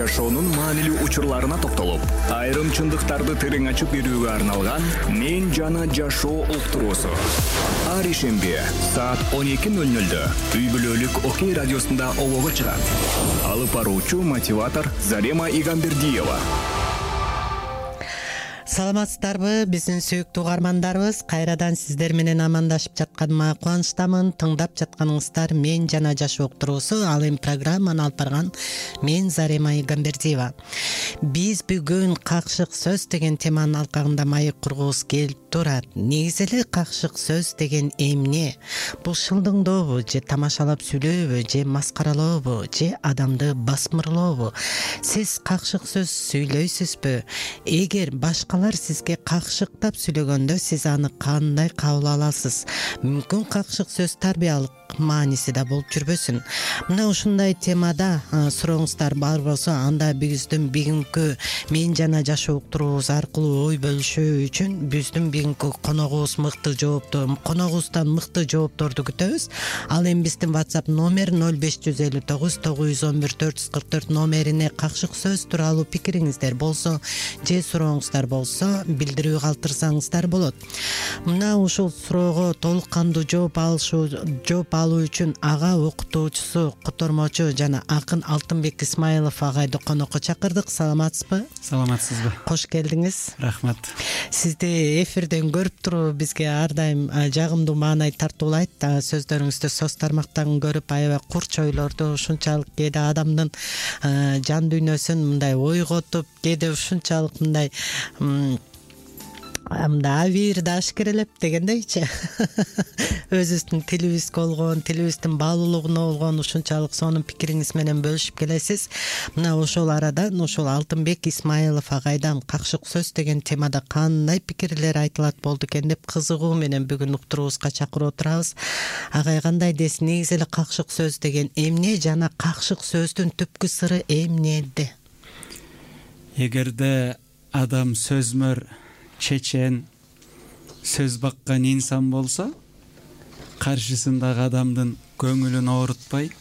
жашоонун маанилүү учурларына токтолуп, айрым чындыктарды терең ачып берүүгө арналган «Мен жана жашоо» уктуруусу. Ар ишемби саат 12:00 үй бүлөлүк Окей радиосунда олого чыгат. Алып баруучу мотиватор Зарема Игамбердиева. Саламатсыздарбы, биздин сүйүктүү угармандарыбыз? Кайрадан сиздер менен амандашып жатканыма кубанычтамын. Тыңдап жатканыңыздар «Мен жана жашоо» уктуруусу. Ал эми программаны алып барган мен Зарема Игамбердиева. Биз бүгүн какшык сөз деген теманын алкагында маек кургубуз келип турат. Негизи эле какшык сөз деген эмне? Бул шылдыңдообу, же тамашалап сүйлөөбү, же маскаралообу, же адамды басмырлообу? Сиз какшык сөз сүйлөйсүзбү? Эгер башкалар сизге какшыктап сүйлөгөндө сиз аны кандай кабыл аласыз? Мүмкүн какшык сөз тарбиялык мааниси да болуп жүрбөсүн. Мына ушундай темада сурооңуздар бар болсо, анда биздин бүгүнкү «Мен жана жашоо» уктуруубуз аркылуу ой бөлүшүү үчүн биздин бүгүнкү коногубуз коногубуздан мыкты жоопторду күтөбүз. Ал эми биздин WhatsApp номер 0559 911 444 номерине какшык сөз тууралуу пикириңиздер болсо же сурооңуздар болсо билдирүү калтырсаңыздар болот. Мына ушул суроого толук кандуу жооп алуу үчүн ага окутуучусу, котормочу жана акын Алтынбек Исмаилов агайды конокко чакырдык. Саламатсызбы? Саламатсызбы. Кош келдиңиз. Рахмат. Сизди эфирден көрүп туруу бизге ар дайым жагымдуу маанай тартуулайт. Сөздөрүңүздү соц тармактан көрүп аябай курч ойлорду, ушунчалык кээде адамдын жан дүйнөсүн мындай ойготуп, кээде ушунчалык мындай абийирди ашкерелеп дегендейчи. Өзүбүздүн тилибизге болгон, тилибиздин баалуулугуна болгон ушунчалык сонун пикириңиз менен бөлүшүп келесиз. Мына ошол арадан ошол Алтынбек Исмаилов агайдан какшык сөз деген темада кандай пикирлер айтылат болду экен деп кызыгуу менен бүгүн уктуруубузга чакырып отурабыз. Агай кандай десин, негизи эле какшык сөз деген эмне жана какшык сөздүн түпкү сыры эмнеде? Эгерде адам сөзмөр, чечен, сөз баккан инсан болсо, каршысындагы адамдын көңүлүн оорутпай,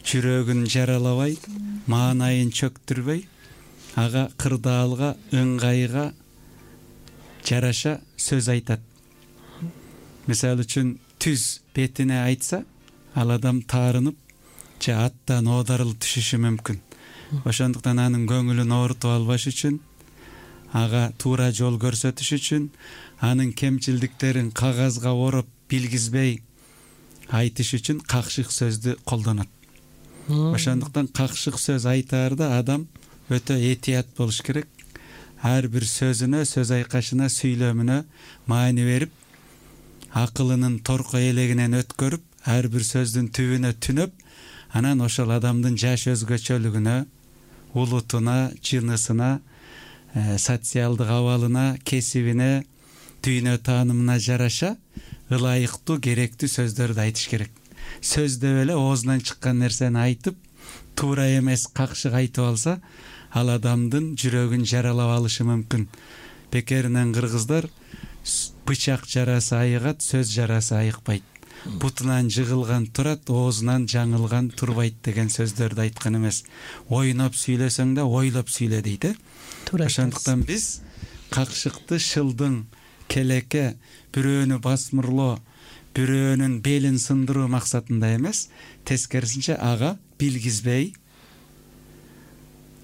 жүрөгүн жаралабай, маанайын чөктүрбөй, ага кырдаалга, ыңгайга жараша сөз айтат. Мисалы үчүн түз бетине айтса, ал адам таарынып, же аттан оодарылып түшүшү мүмкүн. Ошондуктан анын көңүлүн оорутуп албаш үчүн, ага туура жол көрсөтүш үчүн, анын кемчилдиктерин кагазга ороп билгизбей айтыш үчүн какшык сөздү колдонот. Ошондуктан какшык сөз айтаарда адам өтө этият болуш керек. Ар бир сөзүнө, сөз айкашына, сүйлөмүнө маани берип, акылынын торко элегинен өткөрүп, ар бир сөздүн түбүнө түнөп, анан ошол адамдын жаш өзгөчөлүгүнө, улутуна, жынысына, социалдык абалына, кесибине, дүйнө таанымына жараша ылайыктуу, керектүү сөздөрдү айтыш керек. Сөз деп эле оозунан чыккан нерсени айтып, туура эмес какшык айтып алса, ал адамдын жүрөгүн жаралап алышы мүмкүн. Бекеринен кыргыздар бычак жарасы айыгат, сөз жарасы айыкпайт. Бутунан жыгылган турат, оозунан жаңылган турбайт деген сөздөрдү айткан эмес. Ойноп сүйлөсөң да ойлоп сүйлө дейт. Ошондуктан биз какшыкты шылдың, келеке, бирөөнү басмырлоо, бирөөнүн белин сындыруу максатында эмес, тескерисинче ага билгизбей,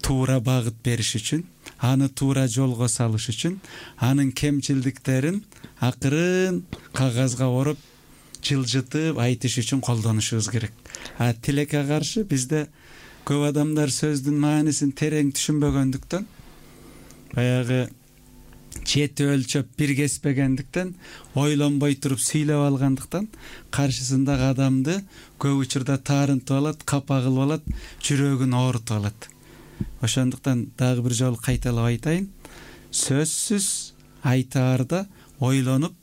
туура багыт бериш үчүн, аны туура жолго салыш үчүн, анын кемчилдиктерин акырын кагазга ороп, жылжытып айтыш үчүн колдонушубуз керек. Тилекке каршы бизде көп адамдар сөздүн маанисин терең түшүнбөгөндүктөн, баягы чети өлчөп бир кеспегендиктен, ойлонбой туруп сүйлөп алгандыктан, каршысындагы адамды көп учурда таарынтып алат, капа кылып алат, жүрөгүн оорутуп алат. Ошондуктан дагы бир жолу кайталап айтайын, сөзсүз айтаарда ойлонуп,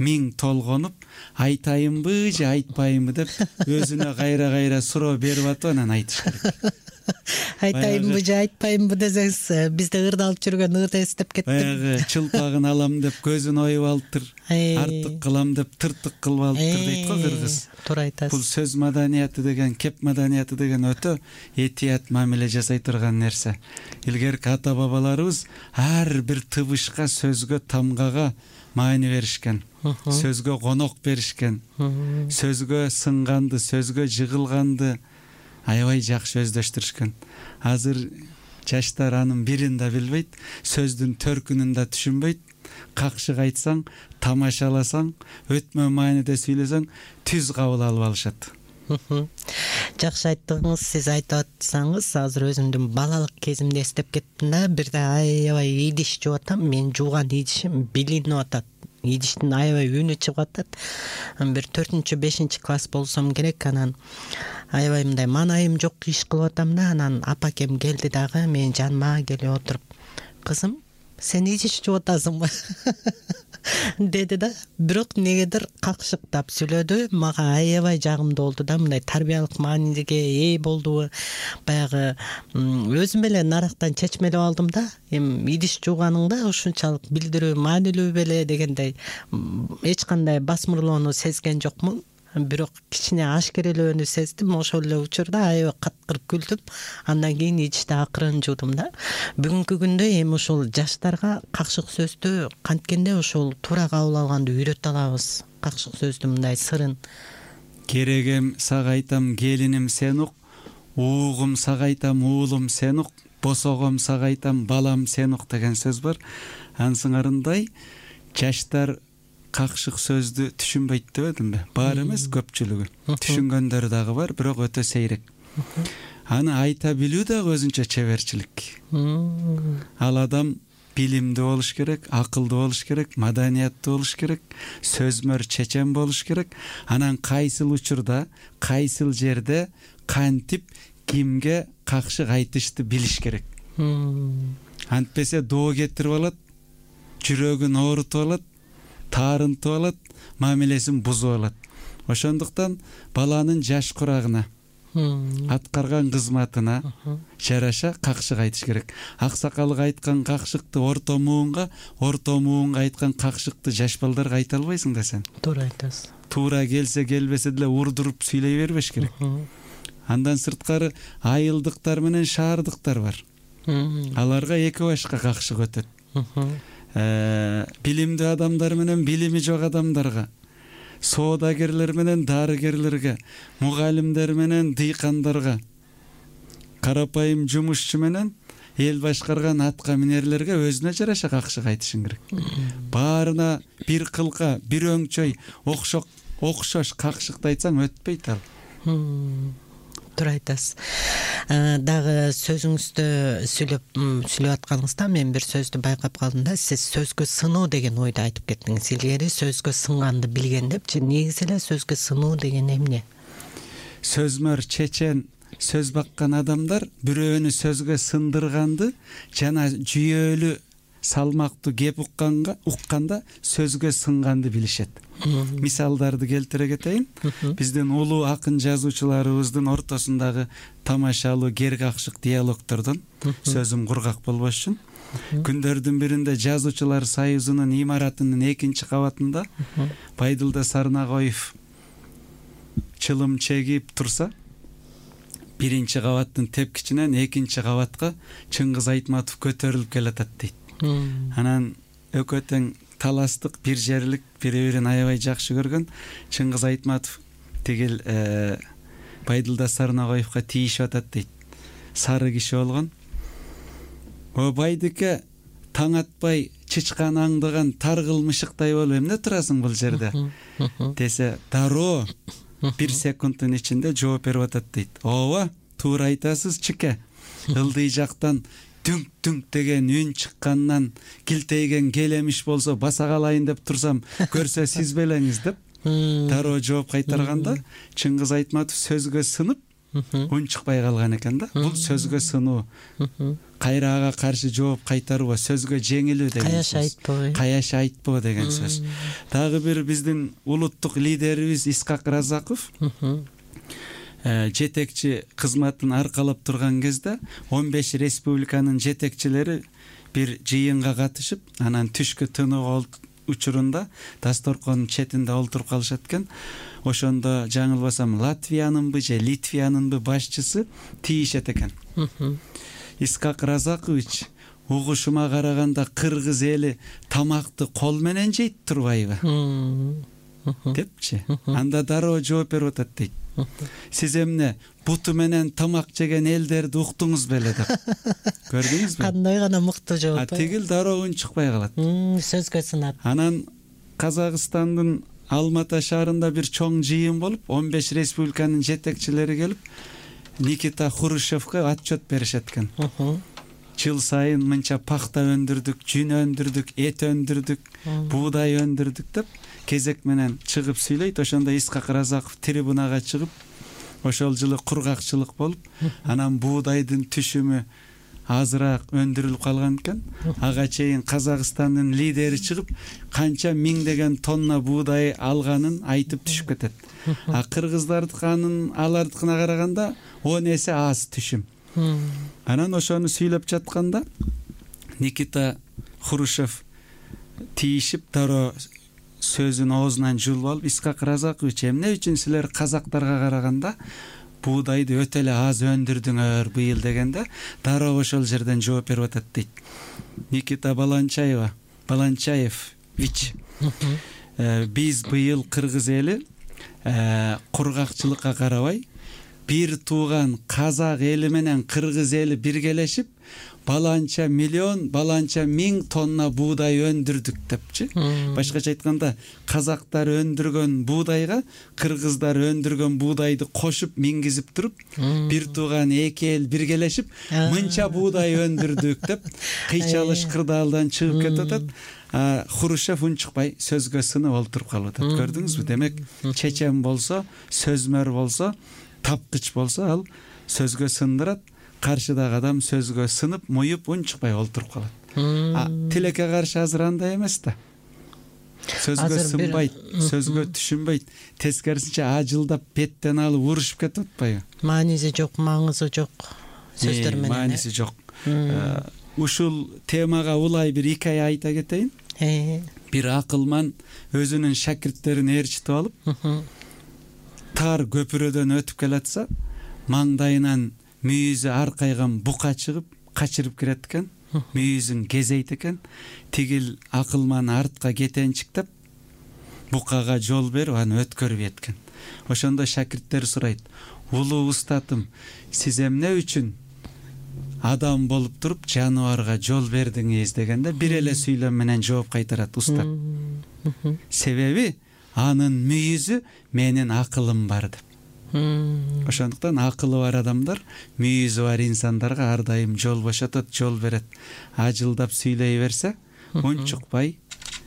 миң толгонуп, айтайынбы же айтпайынбы деп өзүнө кайра суроо берип атып анан айтыш керек. Айтайынбы же айтпайынбы десеңиз, бизде ырда алып жүргөн ырды эстеп кеттим. Баягы чылпагын алам деп көзүн оюп алыптыр, артык кылам деп тыртык кылып алыптыр дейт го кыргыз. Туура айтасыз. Бул сөз маданияты деген, кеп маданияты деген өтө этият мамиле жасай турган нерсе. Илгерки ата бабаларыбыз ар бир тыбышка, сөзгө, тамгага маани беришкен. Сөзгө конок беришкен. Сөзгө сынганды, сөзгө жыгылганды аябай жакшы өздөштүрүшкөн. Азыр жаштар анын бирин да билбейт, сөздүн төркүнүн да түшүнбөйт. Какшык айтсаң, тамашаласаң, өтмө мааниде сүйлөсөң, түз кабыл алып алышат. Жакшы айттыңыз. Сиз айтып атсаңыз, азыр өзүмдүн балалык кезимди эстеп кеттим да, бирде аябай идиш жууп атам. Мен жууган идишим билинип атат. Идиштин аябай үнү чыгып атат. Бир 4-5 класс болсом керек, анан аябай мындай манайым жок иш кылып атам да, анан апакем келди дагы менин жаныма келип отуруп, кызым, сен идиш жууп атасыңбы деди да. Бирок негедир какшыктап сүйлөдү. Мага аябай жагымдуу болду да, мындай тарбиялык мааниге ээ болду. Баягы өзүм эле нарактан чечмелеп алдым да. Эми идиш жууганыңда ушунчалык билдирүү маанилүү беле дегендей эч кандай басмырлоону сезген жокмун. Бирок кичине ашкерелөөнү сездим. Ошол эле учурда аябай каткырып күлдүм. Андан кийин идишти акырын жуудум да. Бүгүнкү күндө эми ушул жаштарга какшык сөздү канткенде ушул туура кабыл алганды үйрөтө алабыз. Какшык сөздүн мындай сырын. Керегем сага айтам, келиним сен ук, уугум сага айтам, уулум сен ук, босогом сага айтам, балам сен ук деген сөз бар. Ансыңарындай жаштар какшык сөздү түшүнбөйт дебедимби? Бар эмес, көпчүлүгү. Түшүнгөндөрү дагы бар, бирок өтө сейрек. Аны айта билүү дагы өзүнчө чеберчилик. Ал адам билимдүү болуш керек, акылдуу болуш керек, маданияттуу болуш керек, сөзмөр, чечен болуш керек. Анан кайсыл учурда, кайсыл жерде кантип кимге какшык айтышты билиш керек. Антпесе доо кетирип алат, жүрөгүн оорутуп алат, таарынтып алат, мамилесин бузуп алат. Ошондуктан баланын жаш курагына, аткарган кызматына жараша какшык айтыш керек. Аксакалга айткан какшыкты орто муунга, орто муунга айткан какшыкты жаш балдарга айта албайсың да сен. Туура айтасыз. Туура келсе келбесе деле урдуруп сүйлөй бербеш керек. Андан сырткары айылдыктар менен шаардыктар бар. Аларга эки башка какшык өтөт. Билимдүү адамдар менен билими жок адамдарга, соодагерлер менен дарыгерлерге, мугалимдер менен дыйкандарга, карапайым жумушчу менен эл башкарган атка минерлерге өзүнө жараша какшык айтышың керек. Баарына бир кылка, бир өңчөй, окшош какшыкты айтсаң өтпөйт ал. Туура айтасыз. Дагы сөзүңүздө сүйлөп атканыңызда мен бир сөздү байкап калдым да. Сиз сөзгө сынуу деген ойду айтып кеттиңиз. Илгери сөзгө сынганды билген депчи. Негизи эле сөзгө сынуу деген эмне? Сөзмөр, чечен, сөз баккан адамдар бирөөнү сөзгө сындырганды жана жүйөлүү, салмактуу кеп укканда сөзгө сынганды билишет. Мисалдарды келтире кетейин. Биздин улуу акын жазуучуларыбыздын ортосундагы тамашалуу кер какшык диалогтордон сөзүм кургак болбош үчүн күндөрдүн биринде жазуучулар союзунун имаратынын 2-кабатында Байдылда Сарнагоев чылым чегип турса, 1-кабаттын тепкичинен 2-кабатка Чыңгыз Айтматов көтөрүлүп келатат дейт. Анан экөө тең таластык, бир жерлик, бири-бирин аябай жакшы көргөн. Чыңгыз Айтматов тигил Байдылда Сарнагоевго тийишип атат дейт. Сары киши болгон. О байдыке, таң атпай чычкан аңдыган таргыл мышыктай болуп эмне турасың бул жерде? Десе, дароо 1 секундтун ичинде жооп берип атат дейт. Ооба, туура айтасыз чике. Ылдый жактан дүңк-дүңк деген үн чыккандан килтейген келемиш болсо баса калайын деп турсам, көрсө сиз белеңиз деп дароо жооп кайтарганда Чыңгыз Айтматов сөзгө сынып үн чыкпай калган экен да. Бул сөзгө сынуу. Кайра ага каршы жооп кайтарбоо, сөзгө жеңилүү деген сөз. Каяш айтпоо. Каяш айтпоо деген сөз. Дагы бир биздин улуттук лидерибиз Исхак Разаков жетекчи кызматын аркалап турган кезде 15 республиканын жетекчилери бир жыйынга катышып, анан түшкү тынуу учурунда дасторкондун четинде олтуруп калышат экен. Ошондо жаңылбасам Латвиянынбы же Литвиянынбы башчысы тийишет экен. Исхак Разакович, угушума караганда кыргыз эли тамакты кол менен жейт турбайбы? Депчи. Анда дароо жооп берип атат дейт. Сиз эмне буту менен тамак жеген элдерди уктуңуз беле деп. Көрдүңүзбү? Кандай гана мыктуу жооп. Тигил дароо үн чыкпай калат. Сөзгө сынат. Анан Казакстандын Алматы шаарында бир чоң жыйын болуп, 15 республиканын жетекчилери келип, Никита Хрущевке отчет беришет экен. Жыл сайын мынча пахта өндүрдүк, жүн өндүрдүк, эт өндүрдүк, буудай өндүрдүк деп кезек менен чыгып сүйлөйт. Ошондо Исхак Разаков трибунага чыгып, ошол жылы кургакчылык болуп, анан буудайдын түшүмү азыраак өндүрүлүп калган экен. Ага чейин Казакстандын лидери чыгып, канча миңдеген тонна буудай алганын айтып түшүп кетет. А кыргыздардыкынын алардыкына караганда 10 эсе аз түшүм. Анан ошону сүйлөп жатканда Никита Хрущев тийишип дароо сөзүн оозунан жулуп алып, Исхак Разакович, эмне үчүн силер казактарга караганда буудайды өтө эле аз өндүрдүңөр быйыл дегенде, дароо ошол жерден жооп берип атат дейт. Никита Баланчаевич, биз быйыл кыргыз эли кургакчылыкка карабай, бир тууган казак эли менен кыргыз эли биргелешип, баланча миллион, баланча миң тонна буудай өндүрдүк депчи. Башкача айтканда, казактар өндүргөн буудайга кыргыздар өндүргөн буудайды кошуп мингизип туруп, бир тууган эки эл биргелешип, мынча буудай өндүрдүк деп кыйчалыш кырдаалдан чыгып кетип атат. Хрущев үн чыкпай сөзгө сынып олтуруп калып атат. Көрдүңүзбү? Демек, чечен болсо, сөзмөр болсо, тапкыч болсо, ал сөзгө сындырат. Каршыдагы адам сөзгө сынып, муюп, үн чыкпай олтуруп калат. Тилекке каршы азыр андай эмес да. Сөзгө сынбайт, сөзгө түшүнбөйт. Тескерисинче ажылдап беттен алып урушуп кетип атпайбы? Мааниси жок, маңызы жок сөздөр менен. Мааниси жок. Ушул темага улай бир икая айта кетейин. Бир акылман өзүнүн шакирттерин ээрчитип алып, тар көпүрөдөн өтүп келатса, маңдайынан мүйүзү аркайган бука чыгып, качырып кирет экен. Мүйүзүн кезейт экен. Тигил акылман артка кетенчиктеп, букага жол берип, аны өткөрбөйт экен. Ошондо шакирттер сурайт: "Улуу устатым, сиз эмне үчүн адам болуп туруп жаныбарга жол бердиңиз?" дегенде бир эле сүйлөм менен жооп кайтарат устат. Себеби анын мүйүзү менин акылым бар деп. Ошондуктан акылы бар адамдар мүйүзү бар инсандарга ар дайым жол бошотот, жол берет. Ажылдап сүйлөй берсе, үн чыкпай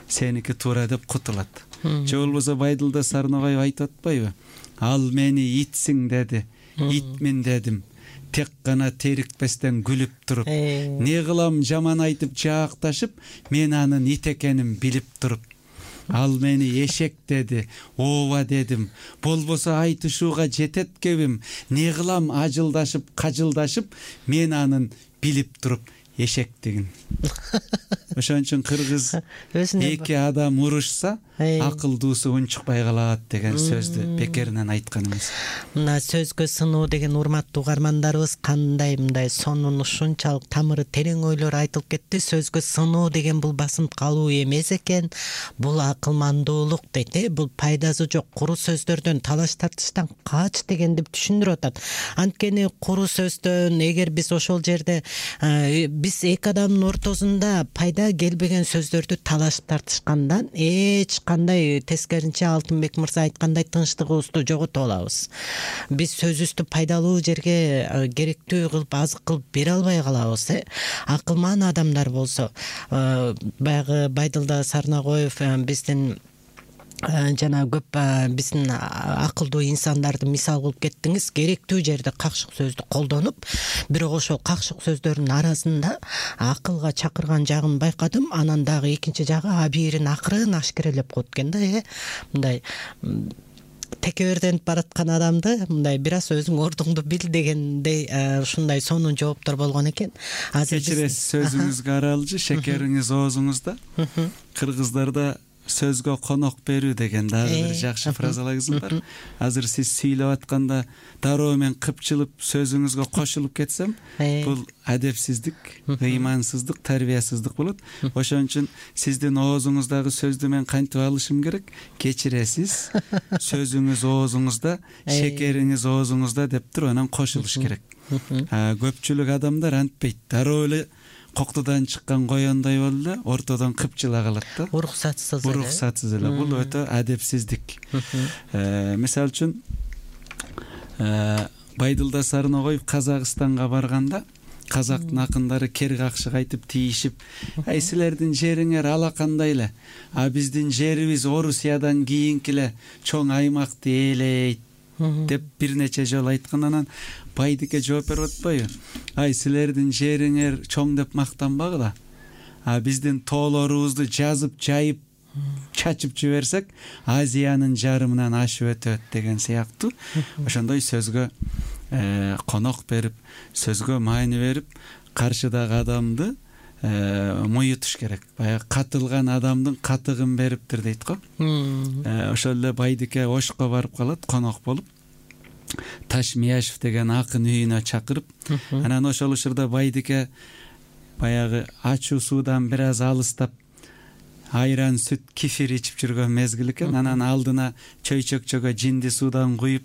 сеники туура деп кутулат. Же болбосо Байдылда Сарнобаев айтып атпайбы? Ал мени итсиң деди, итмин дедим. Тек гана терикпестен күлүп туруп, не кылам жаман айтып жаакташып, мен анын ит экенин билип туруп. Ал мени эшек деди, ооба дедим. Болбосо айтышууга жетет кебим. Не кылам ажылдашып, кажылдашып, мен анын билип туруп эшектигин. Ошон үчүн кыргыз эки адам урушса, акылдуусу үн чыкпай калат деген сөздү бекеринен айткан эмес. Мына сөзгө сынуу деген урматтуу угармандарыбыз кандай мындай сонун ушунчалык тамыры терең ойлор айтылып кетти. Сөзгө сынуу деген бул басынып калуу эмес экен, бул акылмандуулук дейт. Бул пайдасы жок куру сөздөрдөн, талаш тартыштан кач дегенди түшүндүрүп атат. Анткени куру сөздөн эгер биз ошол жерде биз эки адамдын ортосунда пайда келбеген сөздөрдү талаш тартышкандан эч кандай, тескерисинче Алтынбек мырза айткандай, тынчтыгыбызды жоготуп алабыз. Биз сөзүбүздү пайдалуу жерге керектүү кылып, азык кылып бере албай калабыз. Акылман адамдар болсо, баягы Байдылда Сарнагоев биздин жана көп биздин акылдуу инсандарды мисал кылып кеттиңиз. Керектүү жерде какшык сөздү колдонуп, бирок ошол какшык сөздөрдүн арасында акылга чакырган жагын байкадым. Анан дагы экинчи жагы абийирин акырын ашкерелеп коет экен да. Мындай текеберденип бараткан адамды мындай бир аз өзүң ордуңду бил дегендей ушундай сонун жооптор болгон экен. Азыр кечиресиз, сөзүңүзгө аралжы, шекериңиз оозуңузда. Кыргыздарда сөзгө конок берүү деген дагы бир жакшы фразаларыңыз бар. Азыр сиз сүйлөп атканда дароо мен кыпчылып сөзүңүзгө кошулуп кетсем, бул адепсиздик, ыймансыздык, тарбиясыздык болот. Ошон үчүн сиздин оозуңуздагы сөздү мен кантип алышым керек? Кечиресиз, сөзүңүз оозуңузда, шекериңиз оозуңузда деп туруп анан кошулуш керек. Көпчүлүк адамдар антпейт. Дароо эле коктудан чыккан коёндай болуп эле ортодон кыпчыла калат да. Уруксатсыз эле. Бул өтө адепсиздик. Мисалы үчүн Байдылда Сарногоев Казакстанга барганда казактын акындары кер какшык айтып тийишип, ай силердин жериңер алакандай эле, а биздин жерибиз Орусиядан кийинки эле чоң аймакты ээлейт деп бир нече жолу айткан. Анан Байдыке жооп берип атпайбы? Ай силердин жериңер чоң деп мактанбагыла, а биздин тоолорубузду жазып жайып чачып жиберсек Азиянын жарымынан ашып өтөт деген сыяктуу. Ошондой сөзгө конок берип, сөзгө маани берип, каршыдагы адамды моютуш керек. Баягы катылган адамдын катыгын бериптир дейт го. Ошол эле Байдыке Ошко барып калат, конок болуп. Ташмияшев деген акын үйүнө чакырып, анан ошол учурда Байдыке баягы ачуу суудан бир аз алыстап айран, сүт, кефир ичип жүргөн мезгил экен. Анан алдына чөйчөкчөгө жинди суудан куюп,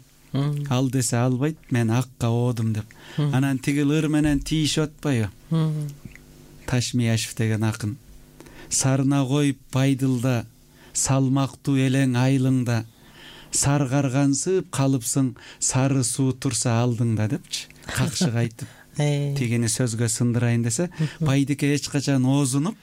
ал десе албайт, мен акка оодум деп. Анан тигил ыр менен тийишип атпайбы? Ташмияшев деген акын. Сарногоев Байдылда, салмактуу элең айылыңда, саргаргансып калыпсың, сары суу турса алдыңда депчи, какшык айтып тигини сөзгө сындырайын десе, Байдыке эч качан оозунуп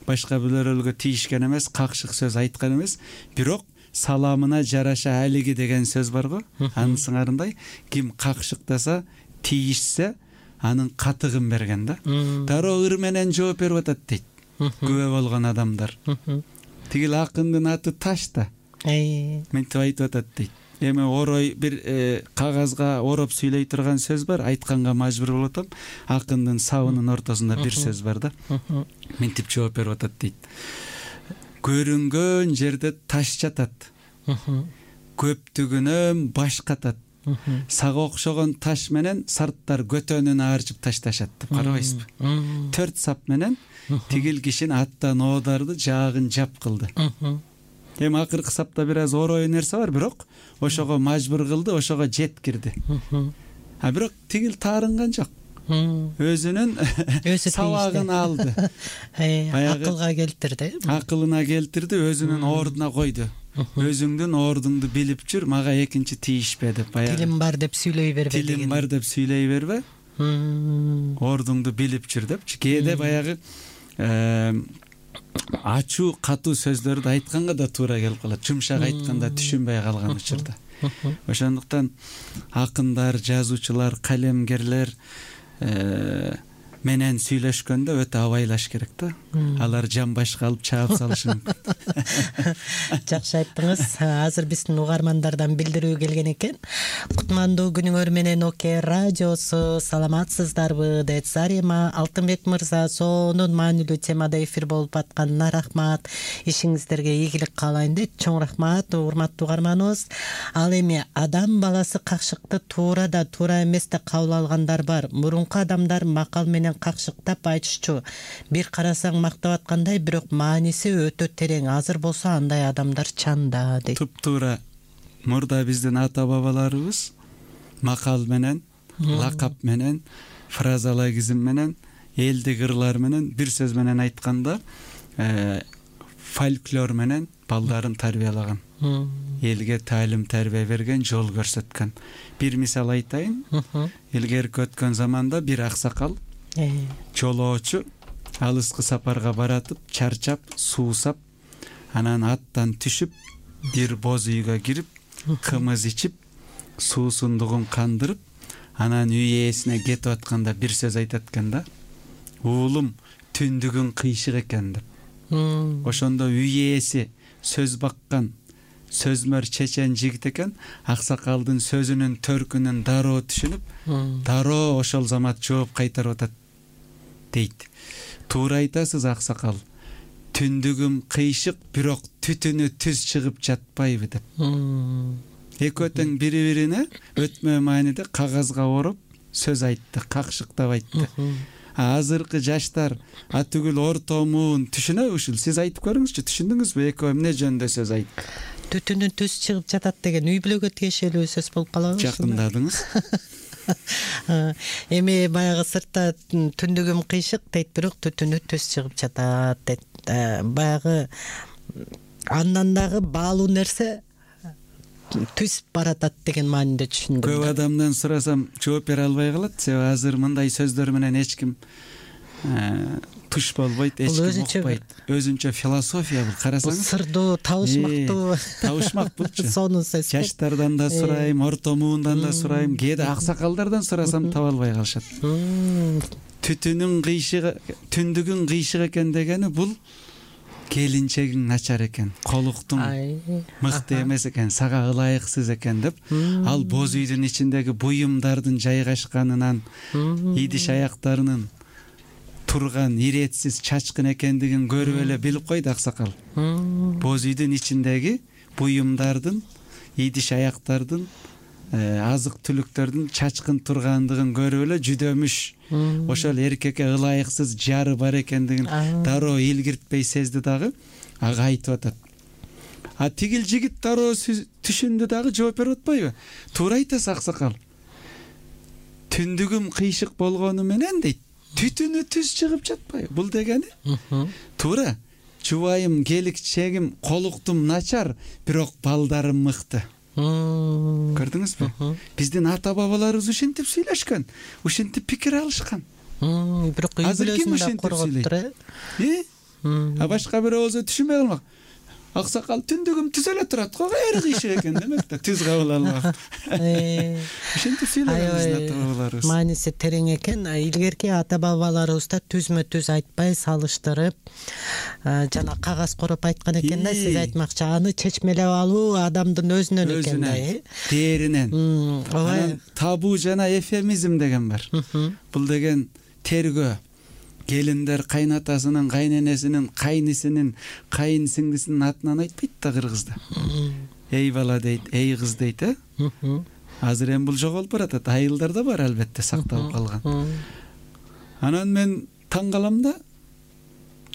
башка бирөөлөргө тийишкен эмес, какшык сөз айткан эмес. Бирок саламына жараша алиги деген сөз бар го. Анын сыңарындай ким какшыктаса, тийишсе, анын катыгын берген да. Дароо ыр менен жооп берип атат дейт күбө болгон адамдар. Тигил акындын аты Таш да. Мынтип айтып атат дейт. Эми орой бир кагазга ороп сүйлөй турган сөз бар, айтканга мажбур болуп атам. Акындын сабынын ортосунда бир сөз бар да. Мынтип жооп берип атат дейт. Көрүнгөн жерде таш жатат, көптүгүнөн баш катат, сага окшогон таш менен сарттар көтөнүн аарчып ташташат деп карабайсызбы? 4 сап менен тигил кишин аттан оодарды жаагын жап кылды. Эми акыркы сапта бир аз орой нерсе бар, бирок ошого мажбур кылды, ошого жеткирди. А бирок тигил таарынган жок. Өзүнүн сабагын алды. Акылга келтирди. Акылына келтирди, өзүнүн ордуна койду. Өзүңдүн ордуңду билип жүр, мага экинчи тийишпе деп. Тилим бар деп сүйлөй бербе деген. Тилим бар деп сүйлөй бербе. Ордуңду билип жүр депчи. Кээде баягы ачуу, катуу сөздөрдү айтканга да туура келип калат. Жумшак айтканда түшүнбөй калган учурда. Ошондуктан акындар, жазуучулар, калемгерлер менен сүйлөшкөндө өтө абайлаш керек да. Алар жамбашка алып чаап салышы мүмкүн. Жакшы айттыңыз. Азыр биздин угармандардан билдирүү келген экен. Кутмандуу күнүңөр менен Оке радиосу, саламатсыздарбы? Дейт Зарема Алтынбек мырза, сонун маанилүү темада эфир болуп атканына рахмат. Ишиңиздерге ийгилик каалайын дейт. Чоң рахмат, урматтуу угарманыбыз. Ал эми адам баласы какшыкты туура да, туура эмес да кабыл алгандар бар. Мурунку адамдар макал менен какшыктап айтышчу. Бир карасаң мактап аткандай, бирок мааниси өтө терең. Азыр болсо андай адамдар чанда дейт. Туп-туура. Мурда биздин ата бабаларыбыз макал менен, лакап менен, фразологизм менен, элдик ырлар менен, бир сөз менен айтканда, фольклор менен балдарын тарбиялаган. Элге таалим тарбия берген, жол көрсөткөн. Бир мисал айтайын. Илгерки өткөн заманда бир аксакал жолоочу алыскы сапарга баратып, чарчап, суусап, анан аттан түшүп, бир боз үйгө кирип кымыз ичип суусундугун кандырып анан үй ээсине кетип атканда бир сөз айтат экен да: уулум, түндүгүң кыйшык экен деп. Ошондо үй ээси сөз баккан сөзмөр чечен жигит экен. Аксакалдын сөзүнүн төркүнүн дароо түшүнүп, дароо ошол замат жооп кайтарып атат дейт. Туура айтасыз аксакал. Түндүгүм кыйшык, бирок түтүнү түз чыгып жатпайбы деп. Экөө тең бири-бирине өтмө мааниде кагазга ороп сөз айтты, какшыктап айтты. Азыркы жаштар түгүл орто муун түшүнөбү ушул? Сиз айтып көрүңүзчү, түшүндүңүзбү экөө эмне жөнүндө сөз айтты? Түтүнү түз чыгып жатат деген үй бүлөгө тиешелүү сөз болуп калабы? Жакындадыңыз. Эми баягы сыртта түндүгүм кыйшык дейт, бирок түтүнү түз чыгып жатат дейт. Баягы андан дагы баалуу нерсе түз баратат деген мааниде түшүндүм. Көп адамдан сурасам жооп бере албай калат. Себеби азыр мындай сөздөр менен эч ким туш болбойт, эч ким укпайт. Өзүнчө философия бул, карасаңыз. Сырдуу, табышмактуу. Табышмак булчу. Сонун сөз. Жаштардан да сурайм, орто муундан да сурайм, кээде аксакалдардан сурасам таба албай калышат. Түтүнүң кыйшыгы, түндүгүң кыйшык экен дегени бул келинчегиң начар экен, колуктуң мыкты эмес экен, сага ылайыксыз экен деп, ал боз үйдүн ичиндеги буюмдардын жайгашканынан, идиш аяктарынын турган иретсиз чачкын экендигин көрүп эле билип койду аксакал. Боз үйдүн ичиндеги буюмдардын, идиш аяктардын, азык түлүктөрдүн чачкын тургандыгын көрүп эле жүдөмүш ошол эркекке ылайыксыз жары бар экендигин дароо илгиртпей сезди дагы, ага айтып атат. Тигил жигит дароо түшүндү дагы жооп берип атпайбы? Туура айтасыз аксакал. Түндүгүм кыйшык болгону менен дейт, түтүнү түз чыгып жатпайбы? Бул дегени туура. Жубайым, келинчегим, колуктум начар, бирок балдарым мыкты. Көрдүңүзбү? Биздин ата бабаларыбыз ушинтип сүйлөшкөн, ушинтип пикир алышкан. Бирок азыр ким ушинтип сүйлөйт? Башка бирөө болсо түшүнбөй калмак. Аксакал түндүгүм түз эле турат го, эри кыйшык экен демек да, түз кабыл алмак. Ушинтип сүйлөгөн биздин ата бабаларыбыз. Мааниси терең экен. Илгерки ата бабаларыбыз да түзмө түз айтпай салыштырып, жана кагаз короп айткан экен да, сиз айтмакчы, аны чечмелеп алуу адамдын өзүнөн экен да, дээринен. Анан табуу жана эфемизм деген бар. Бул деген тергөө. Келиндер кайнатасынын, кайненесинин, кайнисинин, кайын сиңдисинин атынан айтпайт да кыргызда. Эй бала дейт, эй кыз дейт, Азыр эми бул жоголуп баратат. Айылдарда бар албетте, сакталып калган. Анан мен таң калам да,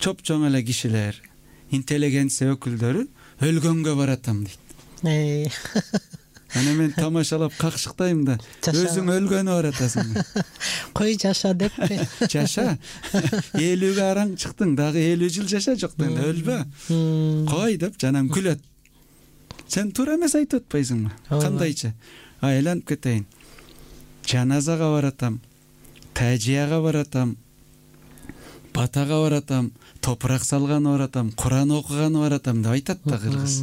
чоп-чоң эле кишилер, интеллигенция өкүлдөрү өлгөнгө баратам дейт. Аны мен тамашалап какшыктайм да, өзүң өлгөнү баратасың. Кой жаша деппи? Жаша. 50-ге араң чыктың, дагы 50 жыл жаша, жок да өлбө. Кой деп жанам күлөт. Сен туура эмес айтып атпайсыңбы? Кандайча? Айланып кетейин. Жаназага баратам, тажияга баратам, батага баратам, топурак салганы баратам, Куран окуганы баратам деп айтат да кыргыз.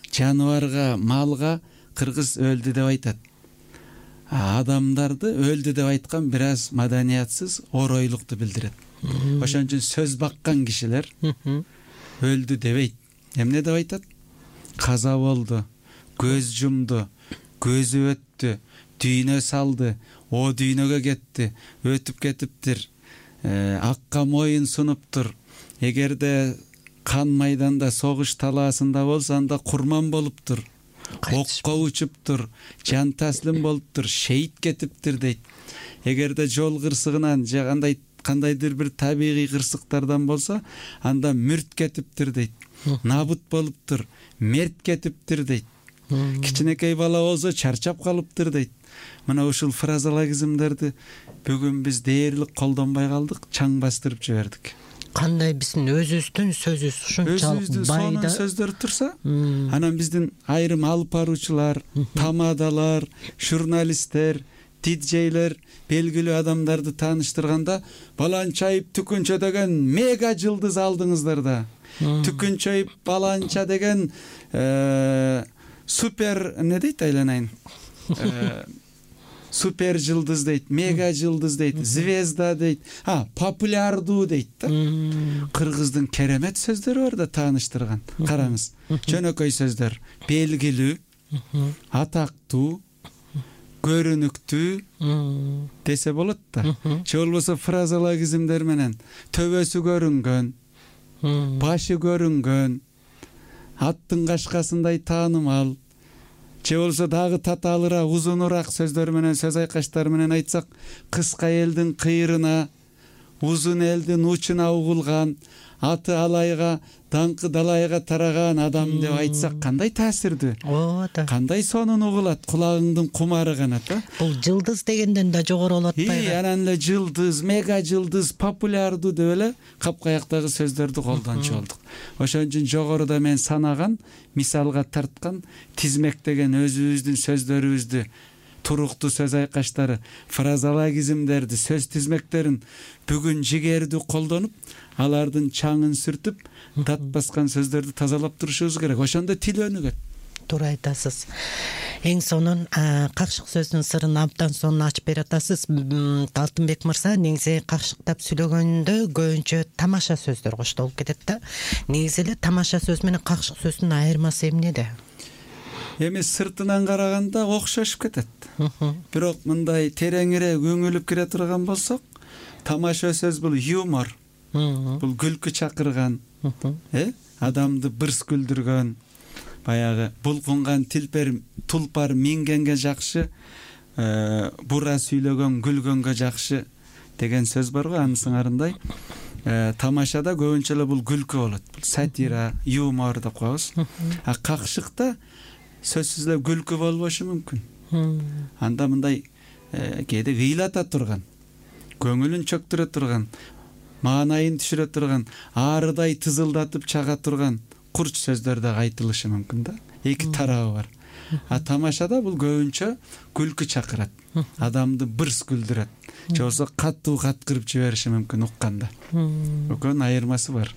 Жаныбарга, малга кыргыз өлдү деп айтат. Адамдарды өлдү деп айткан бир аз маданиятсыз, оройлукту билдирет. Ошон үчүн сөз баккан кишилер өлдү дебейт. Эмне деп айтат? Каза болду, көз жумду, көзү өттү, дүйнө салды, о дүйнөгө кетти, өтүп кетиптир, акка моюн сунуптур. Эгерде кан майданда, согуш талаасында болсо, анда курман болуптур, окко учуптур, жан таслим болуптур, шейит кетиптир дейт. Эгерде жол кырсыгынан же кандайдыр бир табигый кырсыктардан болсо, анда мүрт кетиптир дейт. Набут болуптур, мерт кетиптир дейт. Кичинекей бала болсо чарчап калыптыр дейт. Мына ушул фразологизмдерди бүгүн биз дээрлик колдонбой калдык, чаң бастырып жибердик. Кандай биздин өзүбүздүн сөзүбүз ушунчалык байда сөздөр турса, анан биздин айрым алып баруучулар, тамадалар, журналисттер, диджейлер белгилүү адамдарды тааныштырганда, баланчайып түкүнчө деген мега жылдыз алдыңыздар да. Түкүнчөйүп баланча деген супер эмне дейт айланайын, супер жылдыз дейт, мега жылдыз дейт, звезда дейт, популярдуу дейт да. Кыргыздын керемет сөздөрү бар да тааныштырган. Караңыз, жөнөкөй сөздөр: белгилүү, атактуу, көрүнүктүү десе болот да. Же болбосо фразологизмдер менен төбөсү көрүнгөн, башы көрүнгөн, аттын кашкасындай таанымал, же болбосо дагы татаалыраак, узунураак сөздөр менен, сөз айкаштар менен айтсак: кыска элдин кыйрына, узун элдин учуна угулган, аты алайга, даңкы далайга тараган адам деп айтсак кандай таасирдүү, ооба, кандай сонун угулат, кулагыңдын кумары канат да. Бул жылдыз дегенден да жогору болуп атпайбы? Анан эле жылдыз, мега жылдыз, популярдуу деп эле капкаяктагы сөздөрдү колдончу болдук. Ошон үчүн жогоруда мен санаган, мисалга тарткан, тизмектеген өзүбүздүн сөздөрүбүздү, туруктуу сөз айкаштары, фразологизмдерди, сөз тизмектерин бүгүн жигердүү колдонуп, алардын чаңын сүртүп, дат баскан сөздөрдү тазалап турушубуз керек. Ошондо тил өнүгөт. Туура айтасыз. Эң сонун какшык сөздүн сырын абдан сонун ачып бере атасыз. Алтынбек мырза, негизи какшыктап сүйлөгөндө көбүнчө тамаша сөздөр коштолуп кетет да. Негизи эле тамаша сөз менен какшык сөздүн айырмасы эмнеде? Эми сыртынан караганда окшошуп кетет. Бирок мындай тереңирээк үңүлүп кире турган болсок, тамаша сөз бул юмор. Бул күлкү чакырган, адамды бырс күлдүргөн, баягы булкунган тулпар мингенге жакшы, бура сүйлөгөн күлгөнгө жакшы деген сөз бар го. Анын сыңарындай тамашада көбүнчө эле бул күлкү болот. Бул сатира, юмор деп коебуз. Какшыкта сөзсүз эле күлкү болбошу мүмкүн. Анда мындай кээде ыйлата турган, көңүлүн чөктүрө турган, маанайын түшүрө турган, арыдай тызылдатып чага турган курч сөздөр да айтылышы мүмкүн да. Эки тарабы бар. Тамашада бул көбүнчө күлкү чакырат, адамды бырс күлдүрөт, же болбосо катуу каткырып жибериши мүмкүн укканда. Экөөнүн айырмасы бар.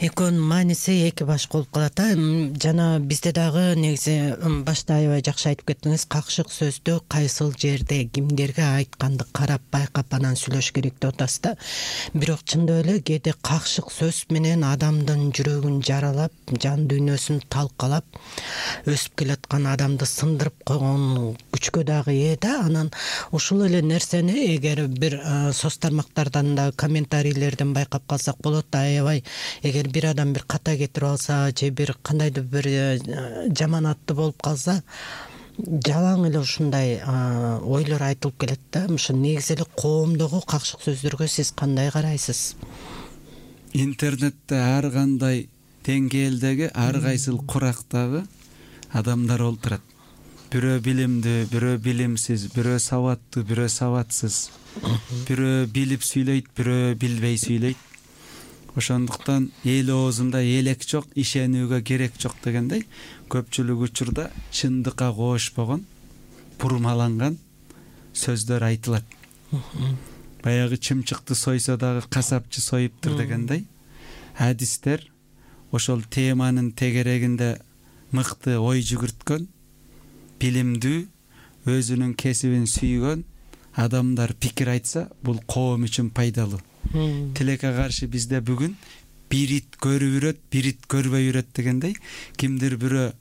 Экөөнүн мааниси эки башка болуп калат. Жана бизде дагы негизи башта аябай жакшы айтып кеттиңиз, какшык сөздү кайсыл жерде кимдерге айтканды карап байкап анан сүйлөш керек деп атасыз да. Бирок чындап эле кээде какшык сөз менен адамдын жүрөгүн жаралап, жан дүйнөсүн талкалап, өсүп келаткан адамды сындырып койгон күчкө дагы ээ да. Анан ушул эле нерсени эгер бир соц тармактардан да, комментарийлерден байкап калсак болот да. Аябай эгер бир адам бир ката кетирип алса, же бир кандайдыр бир жаман атты болуп калса, жалаң эле ушундай ойлор айтылып келет да. Ошо негизи эле коомдогу какшык сөздөргө сиз кандай карайсыз? Интернетте ар кандай деңгээлдеги, ар кайсыл курактагы адамдар олтурат. Бирөө билимдүү, бирөө билимсиз, бирөө сабаттуу, бирөө сабатсыз, бирөө билип сүйлөйт, бирөө билбей сүйлөйт. Ошондуктан эл оозунда элек жок, ишенүүгө керек жок дегендей, көпчүлүк учурда чындыкка коошпогон, бурмаланган сөздөр айтылат. Баягы чымчыкты сойсо дагы касапчы союптур дегендей, адистер ошол теманын тегерегинде мыкты ой жүгүрткөн, билимдүү, өзүнүн кесибин сүйгөн адамдар пикир айтса, бул коом үчүн пайдалуу. Тилекке каршы бизде бүгүн бир ит көрүп үрөт, бир ит көрбөй үрөт дегендей, кимдир бирөө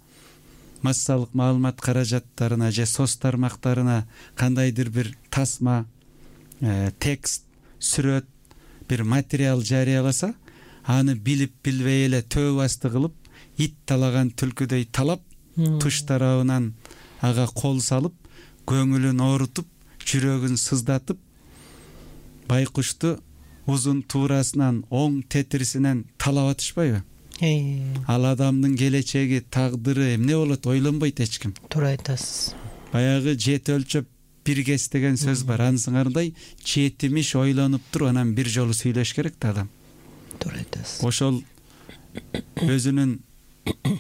массалык маалымат каражаттарына же соц тармактарына кандайдыр бир тасма, текст, сүрөт, бир материал жарыяласа, аны билип билбей эле төө басты кылып, ит талаган түлкүдөй талап, туш тарабынан ага кол салып, көңүлүн оорутуп, жүрөгүн сыздатып, байкушту узун туурасынан, оң тетирисинен талап атышпайбы? Ал адамдын келечеги, тагдыры эмне болот ойлонбойт эч ким. Туура айтасыз. Баягы жет өлчөп бир кес деген сөз бар. Анын сыңарындай жетимиш ойлонуп туруп анан бир жолу сүйлөш керек да адам. Туура айтасыз. Ошол өзүнүн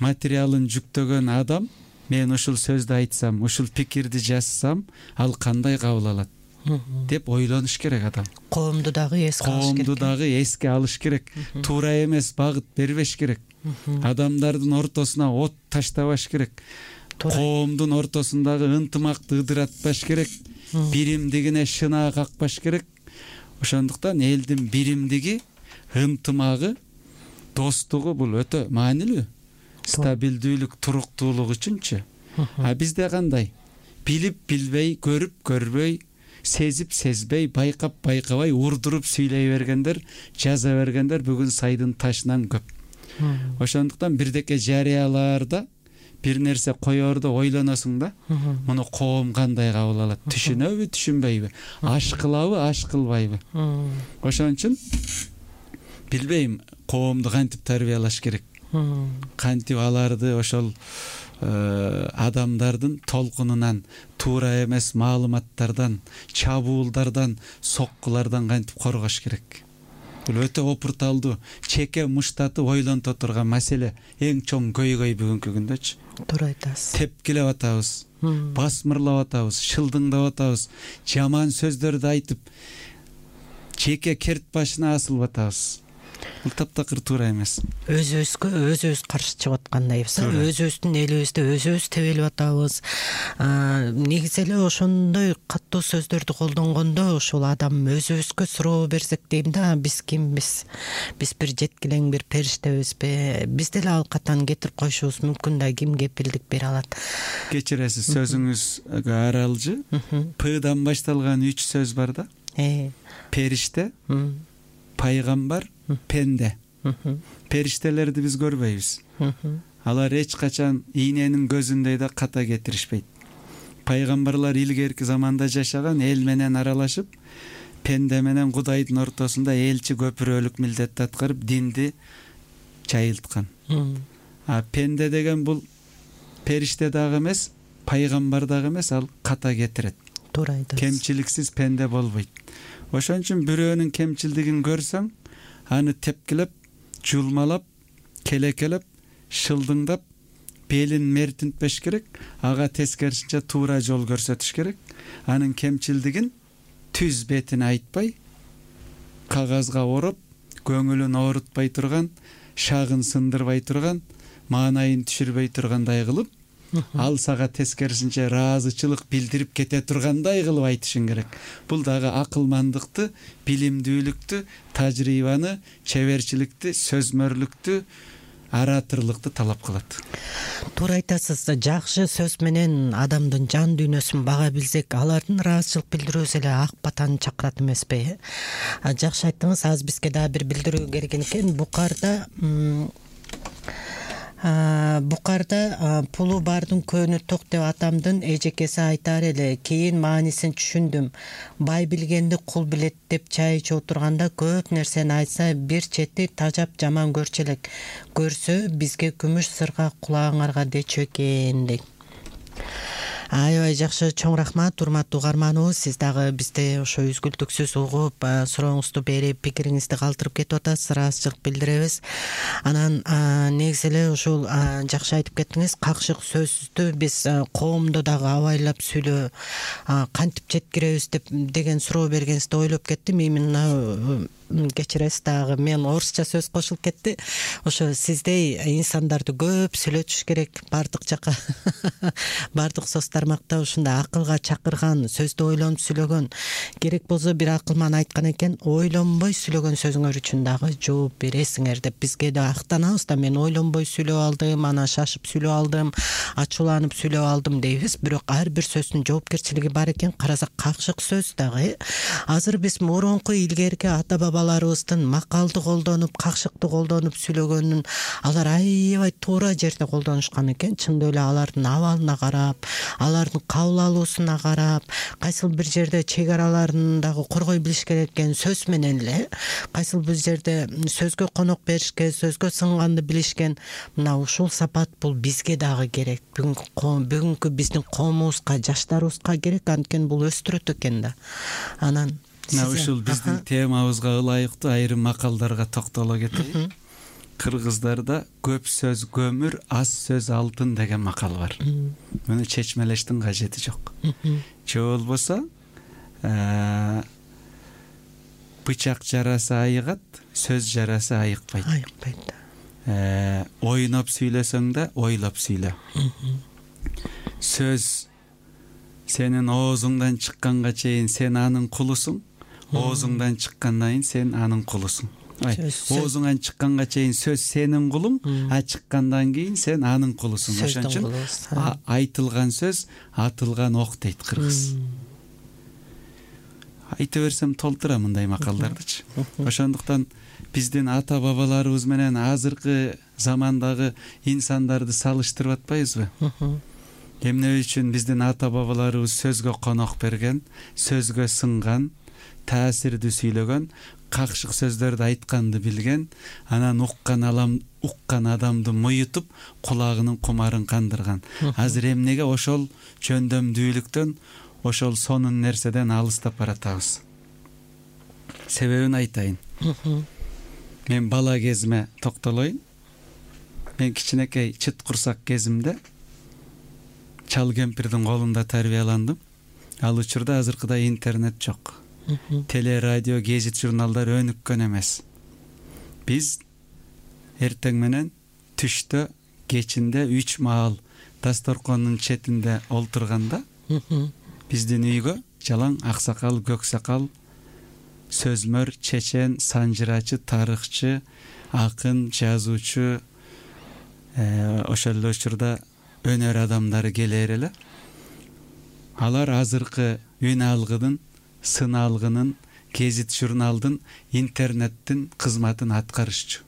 материалын жүктөгөн адам, мен ушул сөздү айтсам, ушул пикирди жазсам, ал кандай кабыл алат? деп ойлонуш керек адам. Коомду дагы эске алыш керек. Туура эмес багыт бербеш керек. Адамдардын ортосуна от таштабаш керек. Коомдун ортосундагы ынтымакты ыдыратпаш керек. Биримдигине шынаа какпаш керек. Ошондуктан элдин биримдиги, ынтымагы, достугу бул өтө маанилүү. Стабилдүүлүк, туруктуулук үчүнчү. А бизде кандай? Билип билбей, көрүп көрбөй, сезип сезбей, байкап байкабай, урдуруп сүйлөй бергендер, жаза бергендер бүгүн сайдын ташынан көп. Ошондуктан бирдеке жарыялаарда бир нерсе коерду ойлоносуң да, муну коом кандай кабыл алат? Түшүнөбү, түшүнбөйбү? Аш кылабы, аш кылбайбы? Ошон үчүн билбейм, коомду кантип тарбиялаш керек? Кантип аларды ошол адамдардын толкунунан, туура эмес маалыматтардан, чабуулдардан, соккулардан кантип коргош керек? Бул өтө опурталдуу, чеке муштатып ойлонто турган маселе, эң чоң көйгөй бүгүнкү күндөчү. Туура айтасыз. Тепкилеп атабыз, басмырлап атабыз, шылдыңдап атабыз, жаман сөздөрдү айтып, чеке керт башына асылып атабыз. Бул таптакыр туура эмес. Өзүбүз каршы чыгып аткандайбыз. Өзүбүздүн элибизде өзүбүз тебелип атабыз. Негизи эле ошондой катуу сөздөрдү колдонгондо ошол адам өзүбүзгө суроо берсек дейм да, биз кимбиз? Биз бир жеткилең бир периштебизби? Биз деле ал катан кетирип коюшубуз мүмкүн да, ким кепилдик бере алат? Кечиресиз, сөзүңүзгө аралжы. П'дан башталган 3 сөз бар да. Периште, пайгамбар, пенде. Периштелерди биз көрбөйбүз. Алар эч качан ийненин көзүндөй да ката кетиришпейт. Пайгамбарлар илгерки заманда жашаган, эл менен аралашып, пенде менен Кудайдын ортосунда элчи көпүрөлүк милдетти аткарып, динди жайылткан. А пенде деген бул периште дагы эмес, пайгамбар дагы эмес, ал ката кетирет. Туура айтасыз. Кемчиликсиз пенде болбойт. Ошон үчүн бирөөнүн кемчилдигин көрсөң, аны тепкилеп, жулмалап, келекелеп, шылдыңдап, белин мертинтпеш керек, ага тескерисинче туура жол көрсөтүш керек. Анын кемчилдигин түз бетине айтпай, кагазга ороп, көңүлүн оорутпай турган, шагын сындырбай турган, маанайын түшүрбөй тургандай кылып, ал сага тескерисинче ыраазычылык билдирип кете тургандай кылып айтышың керек. Бул дагы акылмандыкты, билимдүүлүктү, тажрыйбаны, чеберчиликти, сөзмөрлүктү, аратырлыкты талап кылат. Туура айтасыз. Жакшы сөз менен адамдын жан дүйнөсүн бага билсек, алардын ыраазычылык билдирүүсү эле ак батаны чакырат эмеспи? Жакшы айттыңыз. Азыр бизге дагы бир билдирүү келген экен. Букарда пулу бардын көөнү ток деп атамдын эжекеси айтар эле. Кийин маанисин түшүндүм. Бай билгенди кул билет деп чай ичип отурганда көп нерсени айтса, бир чети тажап жаман көрчү элек. Көрсө бизге күмүш сырга кулагыңарга дечү экен дейт. Аябай жакшы, чоң рахмат урматтуу угарманыбыз. Сиз дагы бизде ошо үзгүлтүксүз угуп, сурооңузду берип, пикириңизди калтырып кетип атасыз, ыраазычылык билдиребиз. Анан негизи эле ушул жакшы айтып кеттиңиз, какшык сөздү биз коомдо дагы абайлап сүйлөө кантип жеткиребиз деген суроо бергенсизде ойлоп кеттим. Именно кечиресиз дагы, мен орусча сөз кошулуп кетти. Ошо сиздей инсандарды көп сүйлөтүш керек, бардык жака бардык соц тармакта ушундай акылга чакырган, сөздү ойлонуп сүйлөгөн. Керек болсо бир акылман айткан экен, ойлонбой сүйлөгөн сөзүңөр үчүн дагы жооп бересиңер деп бизге да актанабыз да. Мен ойлонбой сүйлөп алдым, анан шашып сүйлөп алдым, ачууланып сүйлөп алдым дейбиз. Бирок ар бир сөздүн жоопкерчилиги бар экен. Карасак какшык сөз дагы. Азыр биз мурунку илгерки ата бабаларыбыздын макалды колдонуп, какшыкты колдонуп сүйлөгөнүн алар аябай туура жерде колдонушкан экен. Чындап эле алардын абалына карап, алардын кабыл алуусуна карап, кайсыл бир жерде чек араларын дагы коргой билиш керек экен сөз менен эле. Кайсыл бир жерде сөзгө конок беришкен, сөзгө сынганды билишкен. Мына ушул сапат бул бизге дагы керек. Бүгүнкү биздин коомубузга, жаштарыбызга керек, анткени бул өстүрөт экен да. Анан ушул биздин темабызга ылайыктуу айрым макалдарга токтоло кетейин. Кыргыздарда көп сөз көмүр, аз сөз алтын деген макал бар. Муну чечмелештин кажети жок. Же болбосо бычак жарасы айыгат, сөз жарасы айыкпайт. Ойноп сүйлөсөң да ойлоп сүйлө. Сөз сенин оозуңдан чыкканга чейин сен анын кулусуң, оозуңдан чыккандан кийин сен анын кулусуң. Оозуңан чыкканга чейин сөз сенин кулуң, а чыккандан кийин сен анын кулусуң. Ошон үчүн айтылган сөз атылган ок дейт кыргыз. Айта берсем толтура мындай макалдардычы. Ошондуктан биздин ата бабаларыбыз менен азыркы замандагы инсандарды салыштырып атпайбызбы? Эмне үчүн биздин ата бабаларыбыз сөзгө конок берген, сөзгө сынган, таасирдүү сүйлөгөн, какшык сөздөрдү айтканды билген, анан уккан адамды муютуп, кулагынын кумарын кандырган. Азыр эмнеге ошол жөндөмдүүлүктөн, ошол сонун нерседен алыстап баратабыз? Себебин айтайын. Мен бала кезиме токтолоюн. Мен кичинекей чыт курсак кезимде чал кемпирдин колунда тарбияландым. Ал учурда азыркыдай интернет жок. Теле, радио, гезит, журналдар өнүккөн эмес. Биз эртең менен түштө, кечинде 3 маал дасторкондун четинде олтурганда биздин үйгө жалаң аксакал, көксакал, сөзмөр, чечен, санжырачы, тарыхчы, акын, жазуучу, ошол эле учурда өнөр адамдары келер эле. Алар азыркы үн алгыдын, сын алгынын, гезит, журналдын, интернеттин кызматын аткарышчу.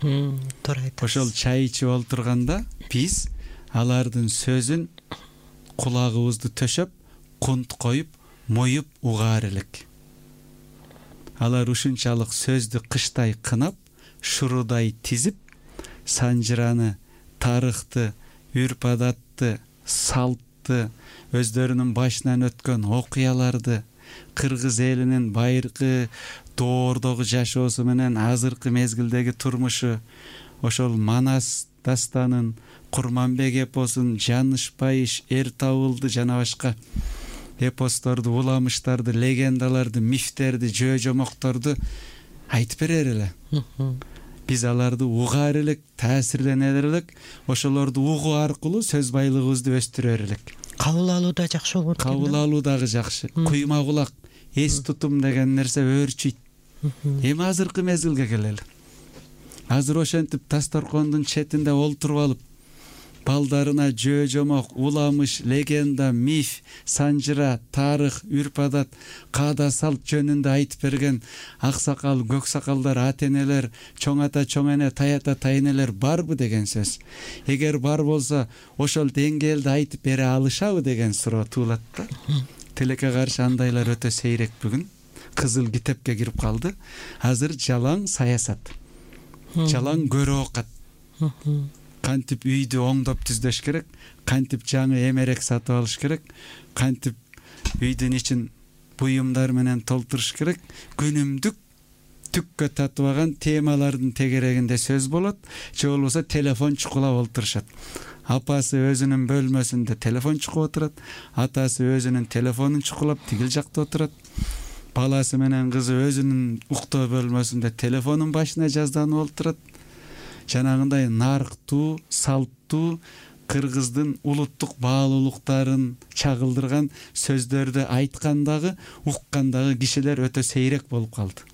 Туура айтасыз. Ошол чай ичип олтурганда биз алардын сөзүн кулагыбызды төшөп, кунт коюп, моюп угаар элек. Алар ушунчалык сөздү кыштай кынап, шурудай тизип, санжыраны, тарыхты, үрп-адатты, салтты, өздөрүнүн башынан өткөн окуяларды, кыргыз элинин байыркы доордогу жашоосу менен азыркы мезгилдеги турмушу, ошол Манас дастанын, Курманбек эпосун, Жанышбайыш, Эр табылды жана башка эпосторду, уламыштарды, легендаларды, мифтерди, жөө-жомокторду айтып берер эле. Биз аларды угаар элек, таасирленер элек, ошолорду угуу аркылуу сөз байлыгыбызды өстүрөр элек. Кабыл алуу да жакшы болот. Кабыл алуу дагы жакшы. Куйма кулак, эс тутум деген нерсе өөрчүйт. Эми азыркы мезгилге келели. Азыр ошентип дасторкондун четинде олтуруп алып, балдарына жөө-жомок, уламыш, легенда, миф, санжыра, тарых, үрп-адат, каада салт жөнүндө айтып берген аксакал, көксакалдар, ата-энелер, чоң ата, чоң эне, таята, тайнелер барбы деген сөз. Эгер бар болсо, ошол деңгээлде айтып бере алышабы деген суроо туулат да. Тилекке каршы андайлар өтө сейрек бүгүн. Кызыл китепке кирип калды. Азыр жалаң саясат. Жалаң көрө окат. Кантип үйдү оңдоп түздөш керек, кантип жаңы эмерек сатып алыш керек, кантип үйдүн ичин буюмдар менен толтуруш керек. Күнүмдүк түккө татыбаган темалардын тегерегинде сөз болот, же болбосо телефон чукулап олтурушат. Апасы өзүнүн бөлмөсүндө телефон чукуп отурат, атасы өзүнүн телефонун чукулап тигил жакта отурат. Баласы менен кызы өзүнүн уктоо бөлмөсүндө телефонун башына жазданып олтурат. Жанагындай нарктуу, салттуу, кыргыздын улуттук баалуулуктарын чагылдырган сөздөрдү айткандагы, уккандагы кишилер өтө сейрек болуп калды.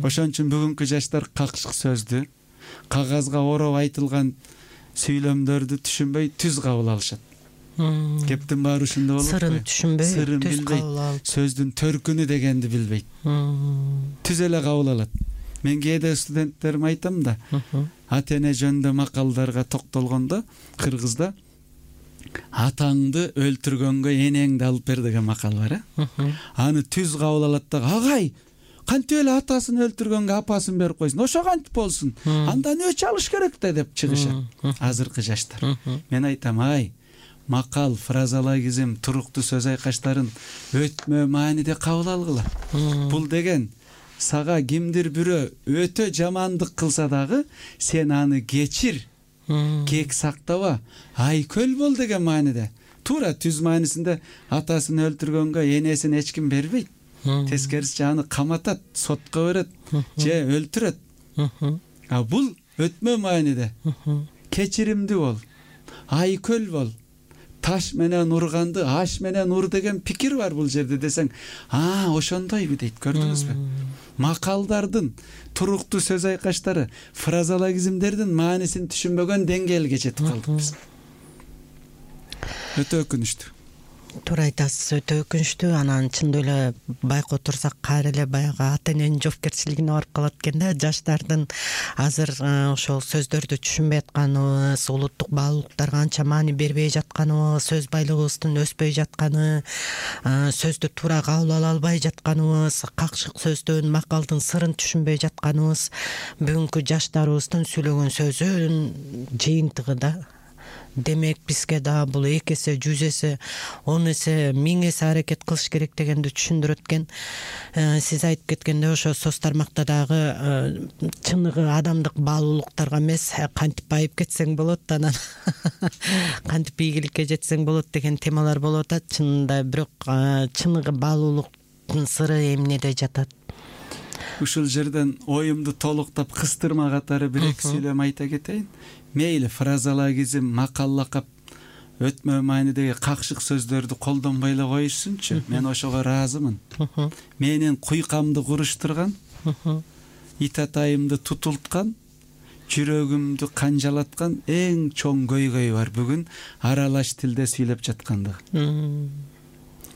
Ошон үчүн бүгүнкү жаштар какшык сөздү, кагазга ороп айтылган сүйлөмдөрдү түшүнбөй түз кабыл алышат. Кептин баары ушунда болот. Сырын түшүнбөй, сырын билбейт, сөздүн төркүнү дегенди билбейт. Түз эле кабыл алат. Мен кээде студенттериме айтам да, ата-эне жөнүндө макалдарга токтолгондо кыргызда атаңды өлтүргөнгө энеңди алып бер деген макал бар. Аны түз кабыл алат да, агай, кантип эле атасын өлтүргөнгө апасын берип койсун, ошо кантип болсун, андан өч алыш керек да деп чыгышат азыркы жаштар. Мен айтам, ай, макал, фразологизм, туруктуу сөз айкаштарын өтмө мааниде кабыл алгыла. Бул деген сага кимдир бирөө өтө жамандык кылса дагы, сен аны кечир, кек сактаба, айкөл бол деген мааниде. Туура түз маанисинде атасын өлтүргөнгө энесин эч ким бербейт. тескерисинче аны каматат, сотко берет же өлтүрөт. А бул өтмө мааниде кечиримдүү бол, айкөл бол, таш менен урганды аш менен ур деген пикир бар бул жерде десең, ошондойбу дейт. Көрдүңүзбү? Макалдардын, туруктуу сөз айкаштары, фразологизмдердин маанисин түшүнбөгөн деңгээлге жетип калдык биз. Өтө өкүнүчтүү. Туура айтасыз, өтө өкүнүчтүү. Анан чындап эле байкап турсак кайра эле баягы ата эненин жоопкерчилигине барып калат экен да. Жаштардын азыр ошол сөздөрдү түшүнбөй атканыбыз, улуттук баалуулуктарга анча маани бербей жатканыбыз, сөз байлыгыбыздын өспөй жатканы, сөздү туура кабыл ала албай жатканыбыз, какшык сөздөн, макалдын сырын түшүнбөй жатканыбыз бүгүнкү жаштарыбыздын сүйлөгөн сөзүнүн жыйынтыгы да. Демек бизге да бул 2 эсе, 100 эсе, 10 эсе, 1000 эсе аракет кылыш керек дегенди түшүндүрөт экен. Сиз айтып кеткендей, ошо соц тармакта дагы чыныгы адамдык баалуулуктарга эмес, кантип байып кетсең болот, анан кантип ийгиликке жетсең болот деген темалар болуп атат. Чынында бирок чыныгы баалуулуктун сыры эмнеде жатат? Ушул жерден оюмду толуктап кыстырма катары 1-2 сүйлөм айта кетейин. Мейли фразологизм, макал лакап, өтмө маанидеги какшык сөздөрдү колдонбой эле коюшсунчу. Мен ошого ыраазымын. Менин куйкамды куруштурган, ит атайымды тутулткан, жүрөгүмдү канжалаткан эң чоң көйгөй бар бүгүн аралаш тилде сүйлөп жаткандыгы.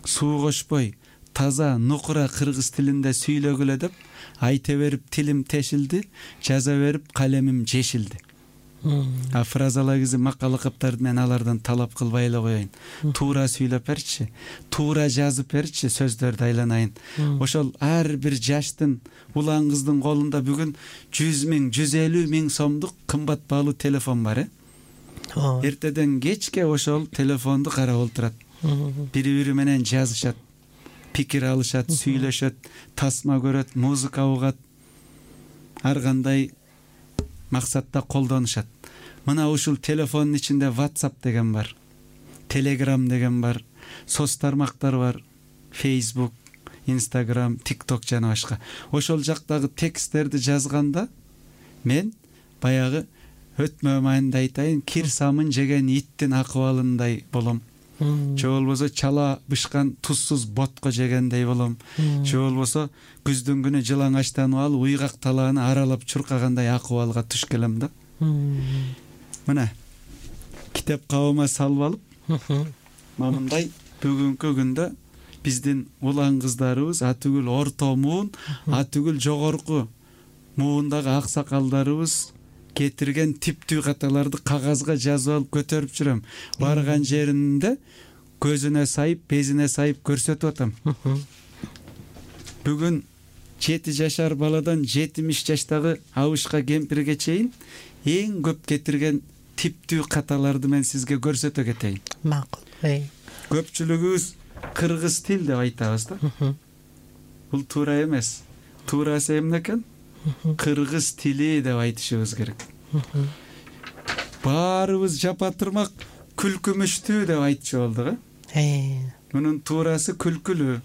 Суу кошпой, таза, нукура кыргыз тилинде сүйлөгүлө деп айта берип тилим тешилди, жаза берип калемим жешилди. Фразологизм, макал лакаптарды мен алардан талап кылбай эле коеюн. Туура сүйлөп берчи, туура жазып берчи, сөздөрдү айланайын. Ошол ар бир жаштын, улан кыздын колунда бүгүн 100 000, 150 000 сомдук кымбат баалуу телефон бар. Эртеден кечке ошол телефонду карап отурат. Бири-бири менен жазышат, пикир алышат, сүйлөшөт, тасма көрөт, музыка угат, ар кандай максатта колдонушат. Мына ушул телефондун ичинде WhatsApp деген бар, Telegram деген бар, соц тармактар бар, Facebook, Instagram, TikTok жана башка. Ошол жактагы тексттерди жазганда мен баягы өтмө маанинде айтайын, кир самын жеген иттин акыбалындай болом. Же болбосо чала бышкан тузсуз ботко жегендей болом. Же болбосо күздүн күнү жылаң аштанып алып уйгак талааны аралап чуркагандай акыбалга туш келем да. Мына китеп кабыма салып алып, мындай бүгүнкү күндө биздин улан кыздарыбыз, атүгүл орто муун, атүгүл жогорку муундагы аксакалдарыбыз кетирген типтүү каталарды кагазга жазып алып көтөрүп жүрөм. Барган жеринде көзүнө сайып, безине сайып көрсөтүп атам. Бүгүн 7 жашар баладан 70 жаштагы абышка кемпирге чейин эң көп кетирген типтүү каталарды мен сизге көрсөтө кетейин. Макул. Көпчүлүгүбүз кыргыз тил деп айтабыз да. Бул туура эмес. Туурасы эмне экен? Кыргыз тили деп айтышыбыз керек. Баарыбыз жапа-турмак күлкүмүштүү деп айтчу болдук, Мунун туурасы күлкүлүү.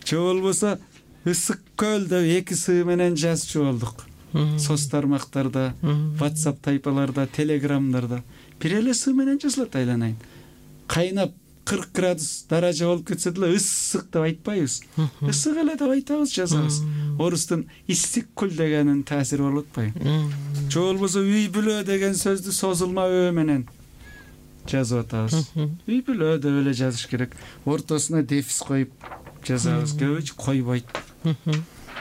Же болбосо ысык көл деп 2 сы менен жазчу болдук. Соц тармактарда, WhatsApp тайпаларда, Telegramдарда бир эле сы менен жазылат айланайын. Кайнап 40 градус даража болуп кетсе деле ысык деп айтпайбыз. Ысык эле деп айтабыз, жазабыз. Орустун иссик күл дегенин таасири болуп атпайбы? Же болбосо үй бүлө деген сөздү созулма өө менен жазып атабыз. Үй бүлө деп эле жазыш керек. Ортосуна дефис коюп жазабыз. Көбүчө койбойт.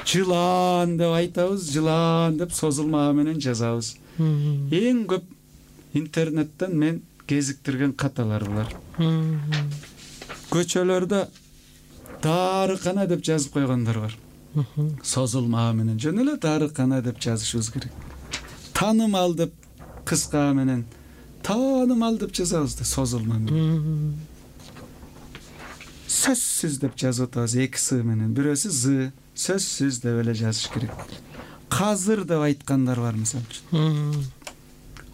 Жылан деп айтабыз, жылан деп созулма а менен жазабыз. Эң көп интернеттен мен кезиктирген каталар булар. Көчөлөрдө дарыкана деп жазып койгондор бар. Созулма а менен жөн эле дарыкана деп жазышыбыз керек. Таанымал деп кыска а менен таанымал деп жазабыз да, созулма менен. Сөзсүз деп жазып атабыз 2 сы менен. Бирөөсү з, сөзсүз деп эле жазыш керек. Казыр деп айткандар бар мисалы үчүн.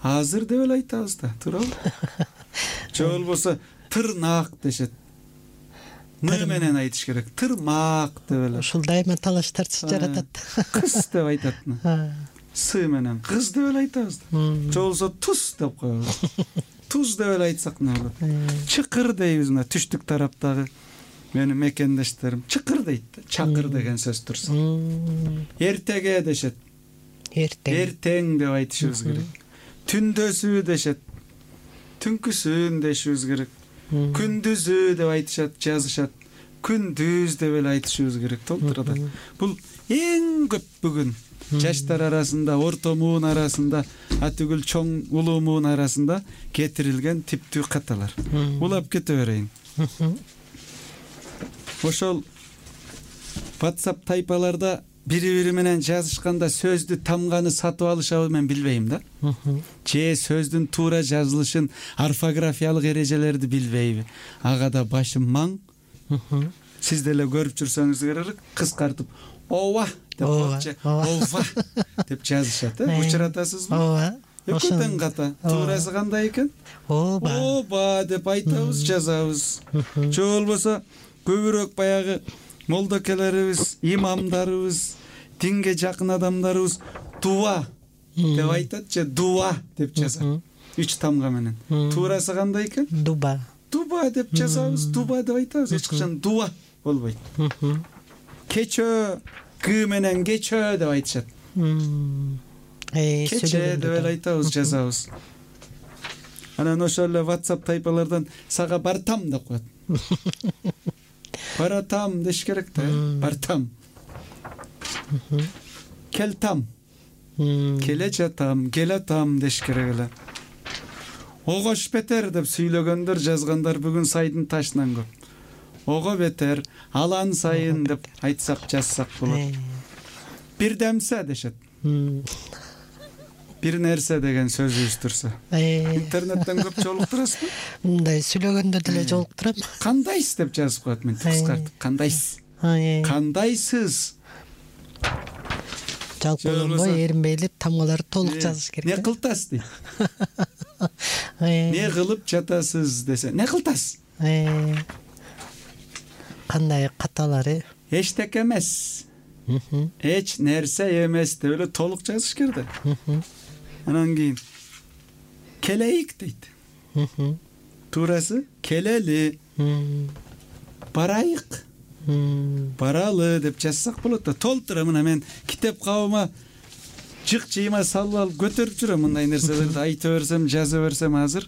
Азыр деп эле айтабыз да, туурабы? Же болбосо тырнак дешет. н менен айтыш керек. Тырмак деп эле. Ушул дайыма талаштар жаратат. Кыз деп айтат. С менен кыз деп эле айтабыз. Же болсо туз деп коебуз. Туз деп эле айтсак эмне болот? Чыкыр дейбиз мына түштүк тараптагы менин мекендештерим. Чыкыр дейт. Чакыр деген сөз турса. Эртеге дешет. Эртең деп айтышыбыз керек. Түндөсү дешет. Түнкүсүн дешибиз керек. Күндүзү деп айтышат, жазышат. Күндүз деп эле айтышыбыз керек. Толтурат. Бул эң көп бүгүн жаштар арасында, орто муун арасында, атүгүл чоң улуу муун арасында кетирилген типтүү каталар. Улап кете берейин. Ошол WhatsApp тайпаларда бири-бири менен жазышканда сөздү тамганы сатып алышабы мен билбейм да. Же сөздүн туура жазылышын, орфографиялык эрежелерди билбейби? Ага да башым маң. Сиз деле көрүп жүрсөңүз керек, кыскартып ова деп ова деп жазышат, учуратасызбы? Ооба. Өкөтөн ката. Туурасы кандай экен? Ова деп айтабыз, жазабыз. Же болбосо көбүрөөк баягы молдокелерибиз, имамдарыбыз, динге жакын адамдарыбыз дуа деп айтат же дуа деп жазат. 3 тамга менен. Туурасы кандай экен? Дуба. Дуба деп жазабыз, дуба деп айтабыз. Эч качан дуа болбойт. Кечөө г менен кечөө деп айтышат. Кече деп эле айтабыз, жазабыз. Анан ошол эле WhatsApp тайпалардан сага бартам деп коет. Баратам деш керек да, бартам. Келтам. Келе жатам, келатам деш керек эле. Огош бетер деп сүйлөгөндөр, жазгандар бүгүн сайдын ташынан көп. Ого бетер, алан сайын деп айтсак, жазсак болот. Бир демсе дешет. Бир нерсе деген сөзүбүз турса. Интернеттен көп жолуктурасызбы? Мындай сүйлөгөндө деле жолуктурам. Кандайсыз деп жазып коет, мен кыскартып. Кандайсыз? Кандайсыз? Жалпы болбой эринбей тамгаларды толук жазыш керек. Не кылтасыз дейт. Не кылып жатасыз десе, не кылтасыз? Кандай каталары? Эчтеке эмес. Эч нерсе эмес деп эле толук жазыш керек. Анан кийин келейик дейт. Туурасы келели. Барайык. Баралы деп жазсак болот да. Толтура мына мен китеп кабыма жык жыйма салып алып көтөрүп жүрөм мындай нерселерди айта берсем, жаза берсем азыр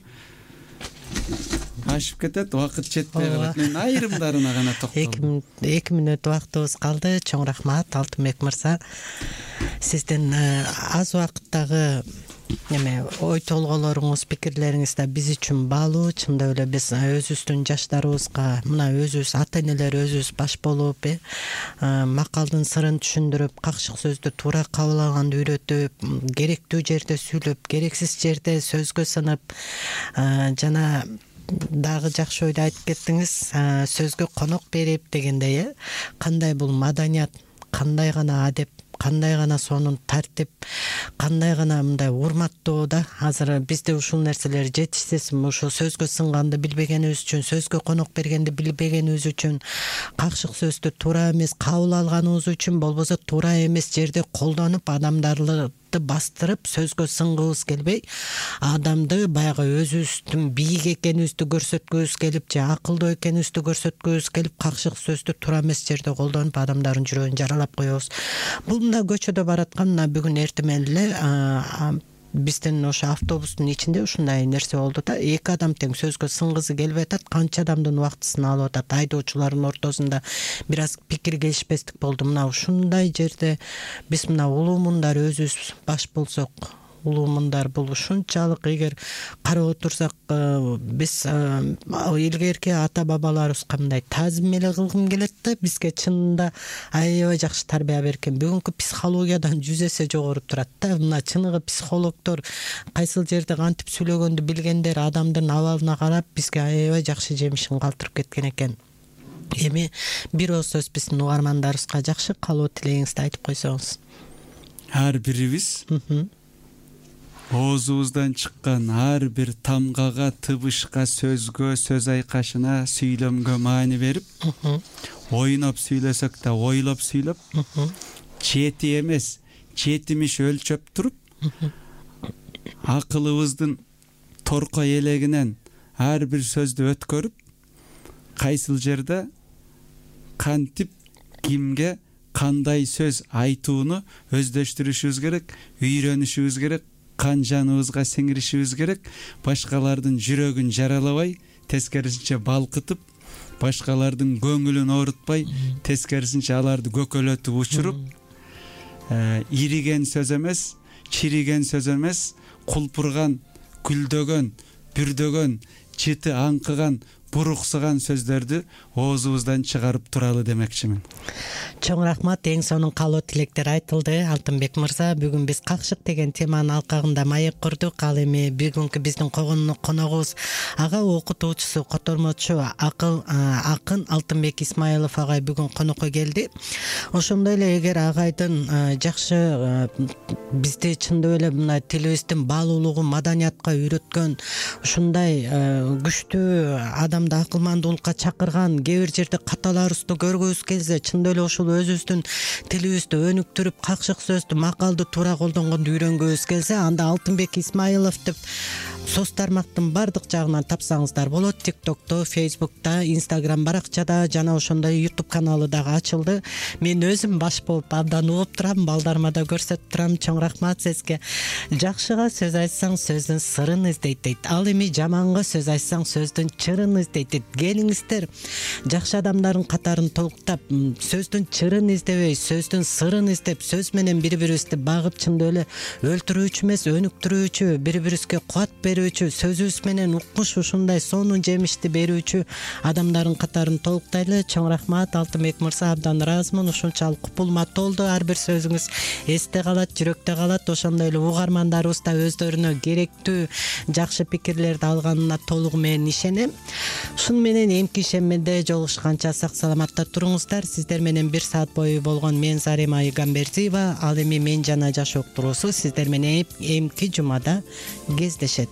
ашып кетет, убакыт жетпей калат. Мен айрымдарына гана токтолдум. 2 мүнөт убактыбыз калды. Чоң рахмат Алтынбек мырза. Сиздин аз убакыттагы ой толголоруңуз, пикирлериңиз да биз үчүн баалуу. Чындап эле биз өзүбүздүн жаштарыбызга, мына өзүбүз ата энелер өзүбүз баш болуп, макалдын сырын түшүндүрүп, какшык сөздү туура кабыл алганды үйрөтүп, керектүү жерде сүйлөп, керексиз жерде сөзгө сынып, жана дагы жакшы ойду айтып кеттиңиз, сөзгө конок берип дегендей, кандай бул маданият, кандай гана адеп, кандай гана сонун тартип, кандай гана мындай урматтоо да. Азыр бизде ушул нерселер жетишсизби? Ушул сөзгө сынганды билбегенибиз үчүн, сөзгө конок бергенди билбегенибиз үчүн, какшык сөздү туура эмес кабыл алганыбыз үчүн, болбосо туура эмес жерде колдонуп адамдарды бастырып сөзгө сынгыбыз келбей, адамды баягы өзүбүздүн бийик экенибизди көрсөткүбүз келип, же акылдуу экенибизди көрсөткүбүз келип, какшык сөздү туура эмес жерде колдонуп адамдардын жүрөгүн жаралап коебуз. Бул мына көчөдө бараткан бүгүн эртемен эле биздин ошо автобустун ичинде ушундай нерсе болду да. 2 адам тең сөзгө сынгысы келбей атат, канча адамдын убактысын алып атат. Айдоочулардын ортосунда бир аз пикир келишпестик болду. Мына ушундай жерде биз мына улуу мундар өзүбүз баш болсок, улуу мундар бул ушунчалык эгер карап отурсак, биз илгерки ата бабаларыбызга мындай таазим эле кылгым келет да. Бизге чынында аябай жакшы тарбия берген. Бүгүнкү психологиядан 100 эсе жогору турат да. Мына чыныгы психологдор кайсыл жерде кантип сүйлөгөндү билгендер, адамдын абалына карап бизге аябай жакшы жемишин калтырып кеткен экен. Эми бир ооз сөз биздин угармандарыбызга жакшы каалоо тилегиңизди айтып койсоңуз. Ар бирибиз оозубуздан чыккан ар бир тамгага, тыбышка, сөзгө, сөз айкашына, сүйлөмгө маани берип, ойноп сүйлөсөк да ойлоп сүйлөп, чети эмес, четимиш өлчөп туруп, акылыбыздын торкой элегинен ар бир сөздү өткөрүп, кайсыл жерде кантип кимге кандай сөз айтууну өздөштүрүшүбүз керек, үйрөнүшүбүз керек, кан жаныбызга сиңиришибиз керек, башкалардын жүрөгүн жаралабай, тескерисинче балкытып, башкалардын көңүлүн оорутпай, тескерисинче аларды көкөлөтүп учуруп, ириген сөз эмес, чириген сөз эмес, кулпурган, күлдөгөн, бүрдөгөн, чыты аңкыган, буруксыган сөздөрдү оозубуздан чыгарып туралы демекчимин. Чоң рахмат, эң сонун каалоо тилектер айтылды. Алтынбек мырза, бүгүн биз какшык деген теманын алкагында маек курдук. Ал эми бүгүнкү биздин коногубуз ага окутуучусу, котормочу акын Алтынбек Исмаилов агай бүгүн конокко келди. Ошондой эле эгер агайдын жакшы бизди чындап эле мына тилибиздин баалуулугун маданиятка үйрөткөн, ушундай күчтүү адамды акылмандуулукка чакырган, кээ бир жерде каталарыбызды көргүбүз келсе, чындап эле ушул өзүбүздүн тилибизди өнүктүрүп, какшык сөздү, макалды туура колдонгонду үйрөнгүбүз келсе, анда Алтынбек Исмаилов деп соц тармактын бардык жагынан тапсаңыздар болот. TikTok'то, Facebook'та, Instagram баракчада жана ошондой YouTube каналы дагы ачылды. Мен өзүм баш болуп абдан угуп турам, балдарыма да көрсөтүп турам. Чоң рахмат сизге. Жакшыга сөз айтсаң, сөздүн сырын издейт дейт. Ал эми жаманга сөз айтсаң, сөздүн чырын издейт дейт. Келиңиздер, жакшы адамдардын катарын толуктап, сөздүн чырын издебей, сөздүн сырын издеп, сөз менен бири-бирибизди багып, чындап эле өлтүрүүчү эмес, өнүктүрүүчү, бири-бирибизге кубат берүүчү, сөзүбүз менен укмуш ушундай сонун жемишти берүүчү адамдардын катарын толуктайлы. Чоң рахмат Алтынбек мырза, абдан ыраазымын. Ушунчалык купулма толду, ар бир сөзүңүз эсте калат, жүрөктө калат. Ошондой эле угармандарыбыз да өздөрүнө керектүү жакшы пикирлерди алганына толугу менен ишенем. Ушун менен эмки ишеммеде жолугушканча сак саламатта туруңуздар. Сиздер менен 1 саат бою болгон мен Зарема Айгамбердиева, ал эми Мен жана жашоо уктуруусу сиздер менен эмки жумада кездешет.